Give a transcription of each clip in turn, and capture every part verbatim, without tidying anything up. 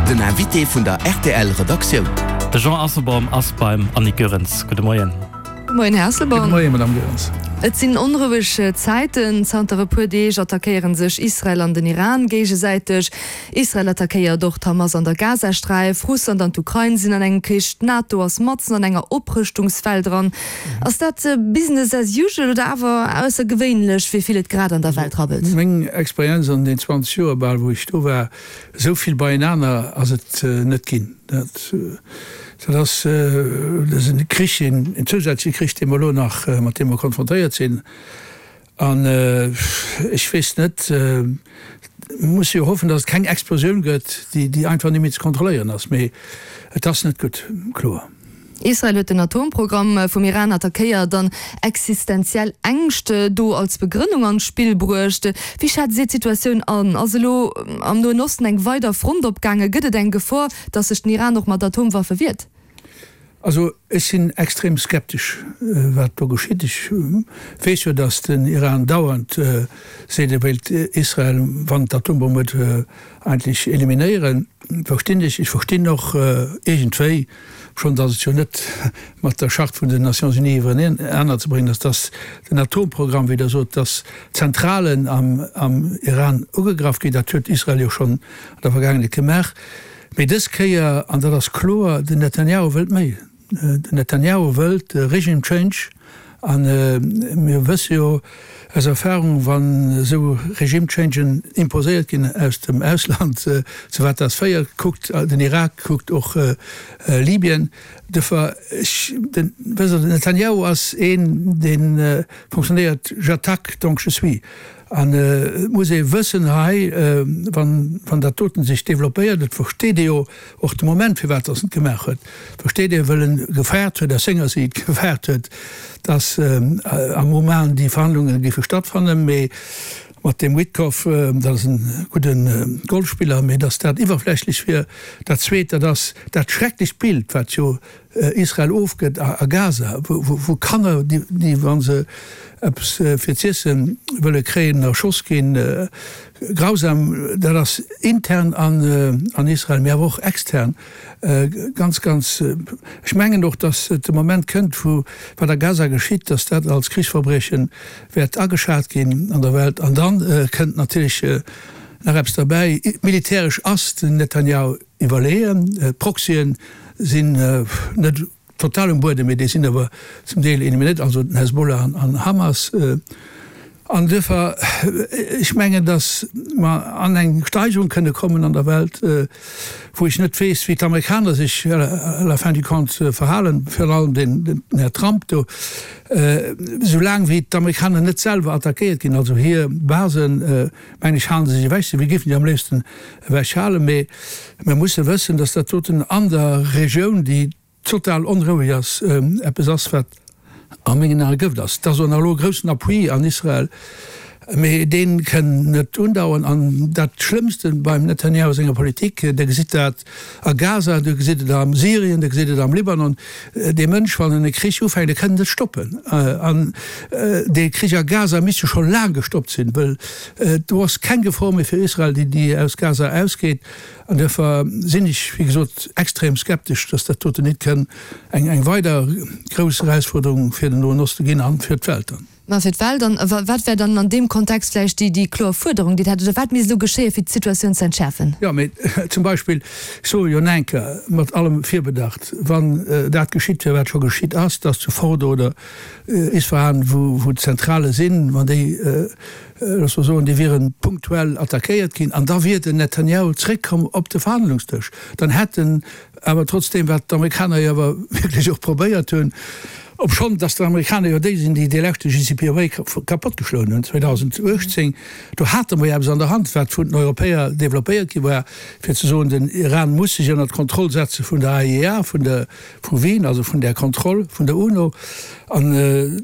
Den Invité vun der R T L Redaktioun. De Jean Asselborn ass beim Annick Goerens. Gudde Moien. Moien, Här Asselborn. Moien, Madame Goerens. Et sinn onroueg Zäiten. Zanter e puer Deeg attackéiere sech Israel an den Iran géigesäiteg. Israel attackéiert och d'Hamas an der Gazasträif. Russland an d'Ukrain sinn an engem Krich. D'NATO ass matzen an enger Oprëschtungswell dran. Ass dat Business as usual oder awer aussergewéinlech, wéi vill et grad an der Welt rabbelt? Meng Experienz an den zwanzeg Joer bal, wou ech do war, esou vill beienaner ass et net ginn. Dat dat ass dat ass e Krich, een zousätzleche Krich, dee mer elo nach, mat deem mer konfrontéiert sinn. An ech weess net, muss jo hoffen, datt et keng Explosioun gëtt, déi déi einfach net méi ze kontrolléieren ass. Mee et ass net gutt, kloer. Israel huet den Atomprogramm vum Iran attackéiert an existenziell Ängscht do als Begrënnung an d'Spill bruecht. Wéi schätzt Dir d'Situatioun an? Ass elo am Noen Osten eng weider Front opgaangen? Gëtt et eng Gefor, datt sech den Iran och mat Atomwaffe wiert? Also ech sinn extrem skeptesch, wat do geschitt. Ech weess jo, datt den Iran dauernd seet, e wéilt Israel, wann et d'Atombomm huet, eigentlech eliminéieren. Verstinn ech. Ech verstinn och iergendwéi schonn, datt et jo net mat der Charte vun den Nations Unies iwwerenaner ze bréngen ass, datt den Atomprogramm, wéi Der sot, datt Zentralen am Iran ugegraff ginn. Dat huet Israel jo schonn an der Vergaangenheet gemaach. Mee dës Kéier, an dat ass kloer, den Netanjahu wëllt méi. Den Netanjahu wëllt Regime change. A mir wësse jo aus Erfahrung, wann esou Regime changen imposéiert ginn aus dem Ausland, zu wat dat féiert. Kuckt den Irak, kuckt och Libyen. Duerfir, ech, den, wësst Der, den Netanjahu ass een, dee fonctionnéiert, j'attaque, donc je suis. An et muss ee wëssen hei, wann, wann dat doten sech développéiert, et versteet ee jo och de Moment, firwat datt en et gemaach huet, versteet ee, wëll en gefaart huet, aus senger Siicht gefaart huet, datt am Oman déi Verhandlunge géife stattfannen, mee mat deem Witkoff, dat ass e gudde Golfspiller, mee datt dat iwwerflächlech wier. Dat Zweet, dat ass dat schrecklecht Bild, wat jo Israel ofgëtt a Gaza, wou Kanner, déi, wa se eppes fir z'iessen wëlle kréien, erschoss ginn. Grausam, dat ass intern an Israel, mee awer och extern ganz, ganz. Ech mengen och, datt et de Moment kënnt, wou wat a Gaza geschitt, datt dat als Krichsverbrieche wäert ageschat ginn an der Welt. An da kënnt natierlech nach eppes derbäi, Militäresch ass den Netanjahu iwwerleeën. D'Proxyen sinn net total um Buedem, mee déi sinn awer zum Deel eliminéiert, also den Hezbollah an Hamas. An duerfir, ech mengen, datt mer an eng Steigerung kënne kommen an der Welt, wou ech net weess, wéi d'Amerikaner sech à la fin du compte verhalen, virun allem den Här Trump do, soulaang wéi d'Amerikaner net selwer attackéiert ginn, also hir Basen, mengen ech, hale se sech ewech. Si géifen déi am léifsten ewechhalen, mee mer musse wëssen, datt dat doten an der Regioun, déi total onroueg ass, eppes ass, wat a mengen Ae Gëft ass. Et ass och nach elo e groussen Appui an Israel, mee dee kënn net undauern. An dat Schlëmmste beim Netanjahu senger Politik, Der gesitt dat a Gaza, Der gesitt et a Syrien, Der gesitt et am Libanon, dee Mënsch, wann en e Krich ufänkt, e kënn net stoppen. An dee Krich a Gaza misst jo scho laang gestoppt sinn, wëll do ass keng Gefor méi fir Israel, déi aus Gaza ausgeet. An duerfir sinn ech, wéi gesot, extrem skeptesch, dass dat doten net kënn eng eng weider grouss Erausfuerderung fir den Noen Oste ginn an fir d'Welt dann. Mä fir d'Welt dann. A wat wär dann an deem Kontext vläicht déi déi kloer Fuerderung, déi Der hätt? Oder wat misst elo geschéien, fir d'Situatioun ze entschäerfen? Jo, mee zum Beispill, ech soe jo enker mat allem Virbedacht, wann dat geschitt wier, wat scho geschitt ass, dass zu Fordo oder Isfahan, wou wou d'Zentrale sinn, wann déi, looss mer soen, déi wiere punktuell attackéiert ginn an da wier den Netanjahu zréckkomm op de Verhandlungsdësch, dann hätt en awer trotzdeem, wat d'Amerikaner jo awer wierklech och probéiert hunn, obschonn datt d'Amerikaner jo déi sinn, déi dee leschte J C P O A kapottgeschloen hunn zweedausenduechtzéng, do hate mer jo eppes an der Hand, wat vun den Europäer developpéiert gi war, fir ze soen, den Iran muss sech ënner d'Kontroll setze vun der A I E A, vun der vu Wien, also vun där Kontroll vun der UNO. An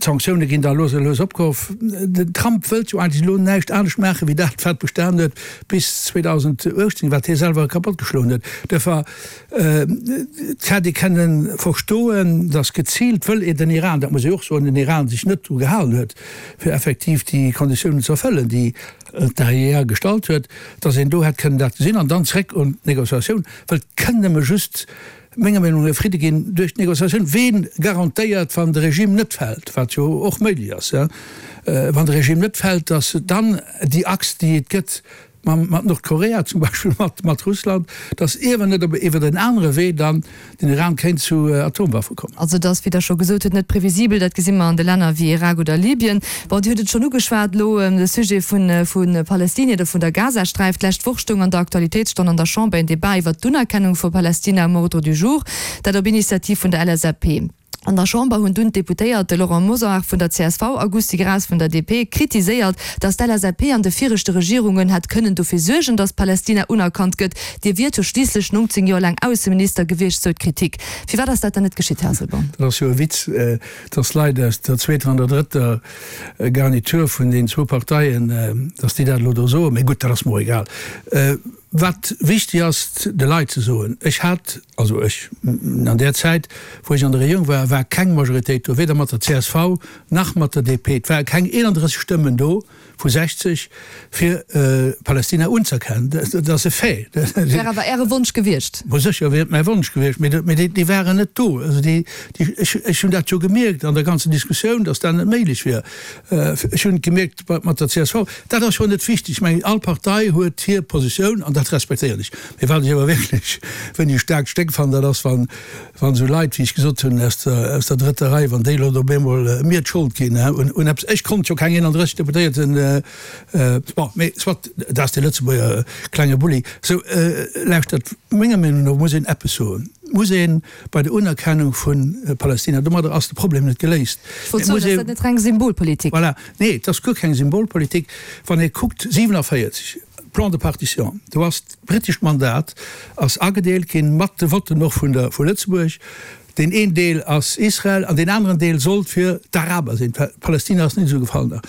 d'Sanktioune ginn da lues a lues opgehoff. Den Trump wëllt jo eigentlech elo näischt anescht maachen, wéi dat, wat bestanen huet bis zweedausenduechtzéng, wat hie selwer kapottgeschloen huet. Duerfir, et hätt ee kënne verstoen, datt geziilt wëll ee den Iran, dat muss ee och soen, den Iran sech net dru gehalen huet, fir effektiv déi Konditiounen ze erfëllen, déi d'A I E A gestallt huet, datt een do hätt kënnen dat gesinn an dann zréck un d'Négociatioun, well et kënn nëmme just, menger Meenung no, e Fridde ginn duerch d'Négociatioun. Ween garantéiert, wann de Regime net fält, wat jo och méiglech ass, wann de Regime net fält, datt dann déi Achs, déi et gëtt, mat Nordkorea zum Beispill, mat Russland, datt iewer net op iwwer en anere Wee dann den Iran kéint zu Atomwaffe kommen. Also et ass, wéi Der scho gesot hutt, net previsibel. Dat gesi mer an de Länner wéi Irak oder Libyen. Bon, Dir hutt et schonn ugeschwat elo, de Sujet vu Palestinien oder vun der Gazasträif. D'lescht Woch stoung an der Aktualitéitsstonn an der Chamber en Debat iwwert d'Unerkennung vu Palästina um Ordre du jour, dat op Initiativ vun der L S A P. An der Chamber hunn dunn d'Deputéiert Laurent Mosar vun der C S V a Gusty Graas vun der D P kritiséiert, datt d'L S A P an de viregte Regierungen hätt kënnen dofir suergen, datt Palästina unerkannt gëtt. Dir wiert jo schliisslech nongzéng Joer laang Ausseminister gewiescht, sou d'Kritik. Firwat ass dat dann net geschitt, Här Asselborn? Dat ass jo e Witz, datt Leit aus der zweeter an der drëtter Garnitur vun deenen zwou Parteien, datt déi dat elo do soen. Mee gutt, dat ass mer och egal. Wat wichtig ass de Leit ze soen, ech hat, also ech, an där Zäit, wou ech an der Regierung war, war keng Majoritéit do, weder mat der C S V nach mat der D P. Et ware keng eenandrësseg Stëmmen do vu sechzeg, fir Palästina unzëerkennen. Dat ass e Fait. Wär awer Äre Wonsch gewiescht? Ma sécher wier et mäi Wonsch gewiescht, mee déi waren net do. Also déi, ech, ech hunn dat jo gemierkt an der ganzen Diskussioun, datt dat net méiglech wier. Ech hunn et gemierkt mat der C S V. Dat ass jo net wichteg. Ech mengen, all Partei huet hir Positioun an dat respektéieren ech. Mee wat ech awer wierklech, wéini e staarkt Stéck fannen, dat ass, wann, wann esou Leit, wéi ech gesot hunn, aus der, aus der drëtter Rei, wann déi elo op eemol mir d'Schold ginn un, un eppes. Ech konnt jo keng eenandrësseg Deputéierten, bon, mee soit, dat ass de Lëtzebuerger klenge Bulli. Sou, lauschtert, menger Meenung no muss een eppes soen, muss ee bei der Unerkennung vu Palästina, domadder ass de Problem net geléist. Ech wollt soen, ass dat net reng Symbolpolitik? Voilà, nee, et ass guer keng Symbolpolitik. Wann ee kuckt, siewenundvierzig, Plan de partition, do ass d'britescht Mandat ass agedeelt ginn, mat de Votten och vun der vu Lëtzebuerg. Deen een Deel ass Israel an deen aneren Deel sollt fir d'Araber sinn. Palästina ass net esou gefall da.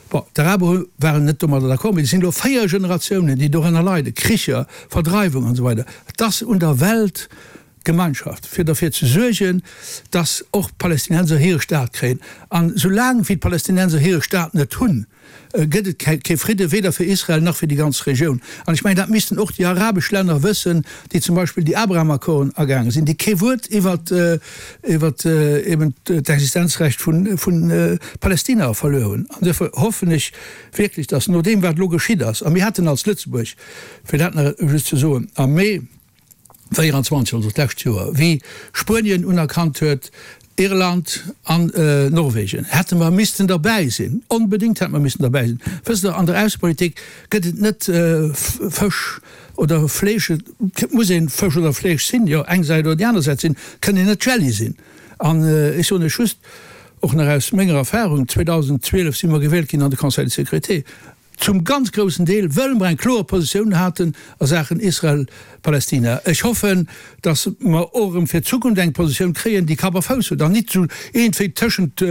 Bon, d'Araber hu waren net domadder d'accord, mee et sinn elo véier Generatiounen, déi dorënner leiden, Kricher, Verdreiwung an esou weider. Et ass un der Weltgemeinschaft, fir derfir ze suergen, dass och d'Palästinenser hire Staat kréien. An soulaang wéi d'Palästinenser hire Staat net hunn, gëtt et kee Fridde, weder fir Israel nach fir déi ganz Regioun. An ech mengen, dat missten och déi arabesch Länner wëssen, déi zum Beispill déi Abraham-Accorden agaange sinn, déi kee Wuert iwwert iwwert eben d'Existenzrecht vu vu Palästina verluer hunn. An duerfir hoffen ech wierklech, dass no deem, wat elo geschitt ass, a mir haten als Lëtzebuerg, fir dat nach just ze soen, am Mee véierundzwanzeg, also d'lescht Joer, wéi Spuenien unerkannt huet, Irland an Norwegen, hätte mer missten derbäi sinn, onbedéngt hätte mer missten derbäi sinn. Wësst Der, an der Aussepolitik gëtt et net Fësch oder Fleesch, et muss ee Fësch oder Fleesch sinn, jo, eng Säit oder déi aner Säit sinn, et kënn een net Jelli sinn. An ech soen lech just, och nach aus menger Erfahrung, zweedausendzwielef si mer gewielt ginn an de Conseil de sécurité, zum ganz groussen Deel, wëll mer eng kloer Positioun haten a Saachen Israel-Palästina. Ech hoffen, datt mer och erëm fir d'Zukunft eng Positioun kréien, déi Kapp a Fouss huet an nit esou iergendwéi tëschent,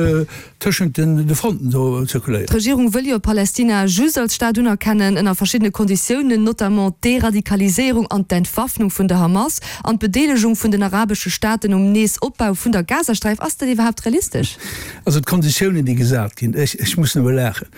tëschent de Fronten do zirkuléiert. D'Regierung wëll jo Palästina just als Staat unerkennen, ënner verschiddene Konditiounen, notamment d'Deradikaliséierung an d'Entwaffnung vun der Hamas an d'Bedeelegung vun den arabesche Staaten um Neesopbau vun der Gazasträif. Ass dat iwwerhaapt realistesch? Also d'Konditiounen, déi gesat ginn, ech, ech muss nëmme laachen.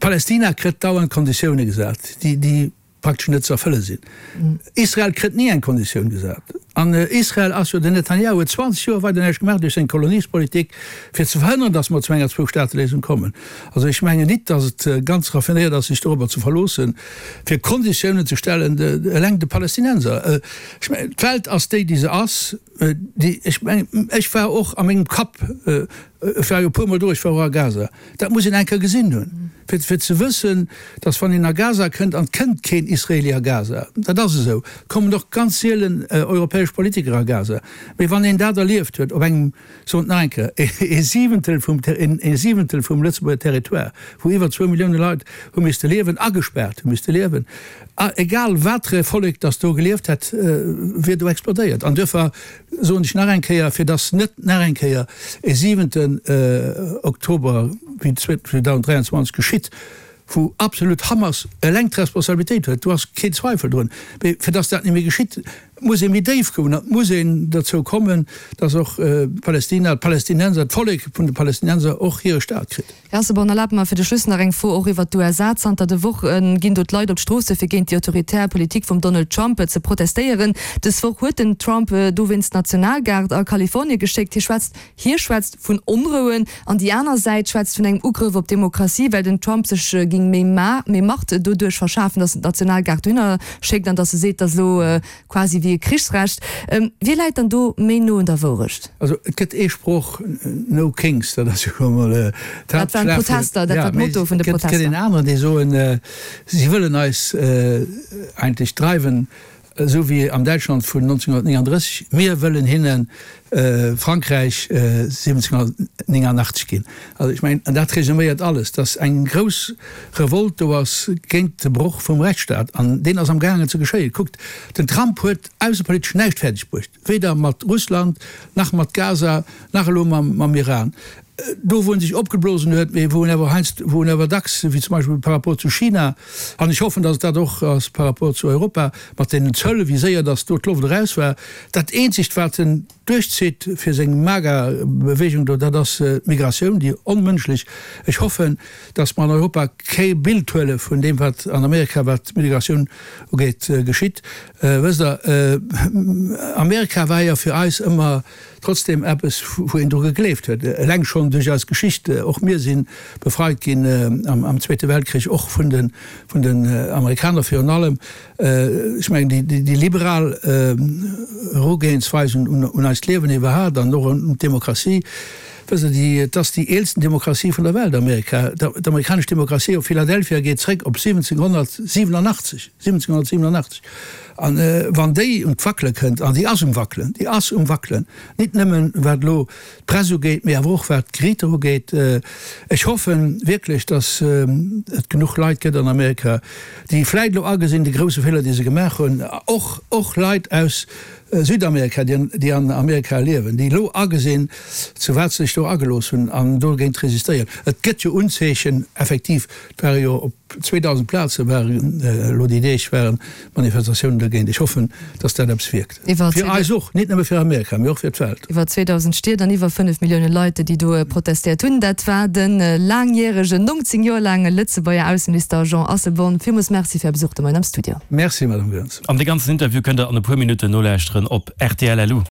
Palästina kritt dauernd Konditioune gesat, déi, déi praktesch net ze erfëlle sinn. Israel kritt ni eng Konditioun gesat. An Israel ass jo, den Netanyahu huet zwanzeg Joer weider näischt gemaach duerch seng Koloniespolitik, fir ze verhënneren, datt mer zu enger Zwou-Staate-Léisung kommen. Also ech mengen nit, datt et ganz raffinéiert ass, sech dorobber ze verloossen, fir Konditiounen ze stellen, eleng de Palästinenser. Ech mengen, d'Welt ass déi, déi se ass. Déi, ech mengen, ech war och a mengem Kapp, ech war jo e puermol do, ech war och a Gaza, dat muss een eng Kéier gesinn hunn, fir, fir ze wëssen, datt wann een a Gaza kënnt, an et kënnt keen Israeli a Gaza, dat ass esou, et kommen och ganz sielen europäesch Politiker a Gaza, mee wann een dat erlieft huet op engem, soen et nach eng Kéier, ee Siwentel vum, ee Siwentel vum Lëtzebuerger Territoire, wou iwwer zwou Millioune Leit hu misste liewen, agespaart hu misste liewen, egal watere Vollek datt do gelieft hätt, wier do explodéiert. An duerfir soen ech nach eng Kéier, fir datt net nach eng Kéier e siwenten Oktober wéi zweedausenddräianzwanzeg geschitt, wou absolut Hamas eleng d'Responsabilitéit huet, do ass keen Zweifel drun, mee fir datt dat net méi geschitt, Et muss ee méi déif goen, et muss een dozou kommen, datt och Palästina, d'Palästinenser, d'Vollek vun de Palästinenser och hire Staat kritt. Här Asselborn, erlaabt mer fir de Schluss nach eng Fro och iwwert d'USA. Zanter de Woche ginn do d'Leit op d'Stroosse fir géint déi autoritär Politik vum Donald Trump ze protestéieren. Dës Woch huet den Trump dowéinst d'Nationalgard a Kalifornie geschéckt. Hie schwätzt hie schwätzt vun Onrouen an déi aner Säit schwätzt vun engem Ugrëff op d'Demokratie, well den Trump sech géing méi méi Macht doduerch verschafen, datt en d'Nationalgard dohinner schéckt an datt e seet, datt elo quasi wéi e Krichsrecht. Wie läit dann do méi no un der Wourecht? Also et gëtt ee Sproch, No Kings, dat ass jo emol Dat waren d'Protester, dat war d'Motto vun de Protester. Et gëtt een aneren, déi soen, si wëllen eis eigentlech dreiwen, esou wéi am Däitschland vun nonzénhunnertnénganddrësseg, mir wëllen hinne Frankräich siwwenzénhunnertnénganachtzeg ginn. Also ech mengen, an dat resuméiert alles, datt eng grouss Revolte do ass géint de Broch vum Rechtsstaat, an deen ass amgaangen ze geschéien. Kuckt, den Trump huet aussepolitesch näischt fäerdeg bruecht, weder mat Russland, nach mat Gaza, nach elo mam Iran. Do wou en sech opgeblosen huet, mee wou en awer heiansdo, wou en awer dacks, wéi zum Beispill par rapport zu China, an ech hoffen, datt et dat och ass par rapport zu Europa, mat deenen Zöll, wéi séier datt do d'Loft eraus war. Dat eenzegt, wat en duerchzitt fir seng MAGA-Bewegung do, dat ass d'Migratioun, déi onmënschlech. Ech hoffen, datt mer an Europa kee Bild huele vun deem, wat an Amerika, wat d'Migratioun ugeet, geschitt. Wësst Der, Amerika war jo fir eis ëmmer trotzdem eppes, wou een dru gegleeft huet, eleng schonn duerch eis Geschicht. Och mir si befreit ginn am Zweete Weltkrich, och vun den, vun den Amerikaner virun allem. Ech mengen, déi liberal Erugehensweis un eist Liewen iwwerhaapt an och un d'Demokratie, wësst Der, déi, et ass déi eelsten Demokratie vun der Welt, Amerika. D'amerikanesch Demokratie op Philadelphia geet zréck op siwwenzénhunnertsiwwenundachtzeg, siwwenzénhunnertsiwwenundachtzeg. An wann déi un d'Wackele kënnt, an déi ass um Wackelen, déi ass um Wackelen, nit nëmmen wat elo d'Press ugeet, mee awer och wat d'Geriiter ugeet, ech hoffe wierklech, datt et genuch Leit gëtt an Amerika, déi vläit elo agesinn, de grouse Feeler, dee se gemaach hunn, och och Leit aus Südamerika, déi an Amerika liewen, déi elo agesinn, zu wat se sech do agelooss hunn an dogéint resistéieren. Et gëtt jo Unzeechen, effektiv, et ware jo op zweedausend Plaze waren elo déi Deeg waren Manifestatiounen dogéint. Ech hoffen, datt dat eppes wierkt. Fir eis och, nit nëmme fir Amerika, mee och fir d'Welt. Iwwer zweedausend Stied an iwwer fënnef Millioune Leit, déi do protestéiert hunn. Dat war de laangjäregen, nongzéng Joer laange Lëtzebuerger Ausseminister Jean Asselborn. Villmools Merci fir Är Besuch de Moien am Studio. Merci, Madame Goerens. An dee ganzen Interview kënnt der an e puer Minutten nolauschteren op rtl. Lu.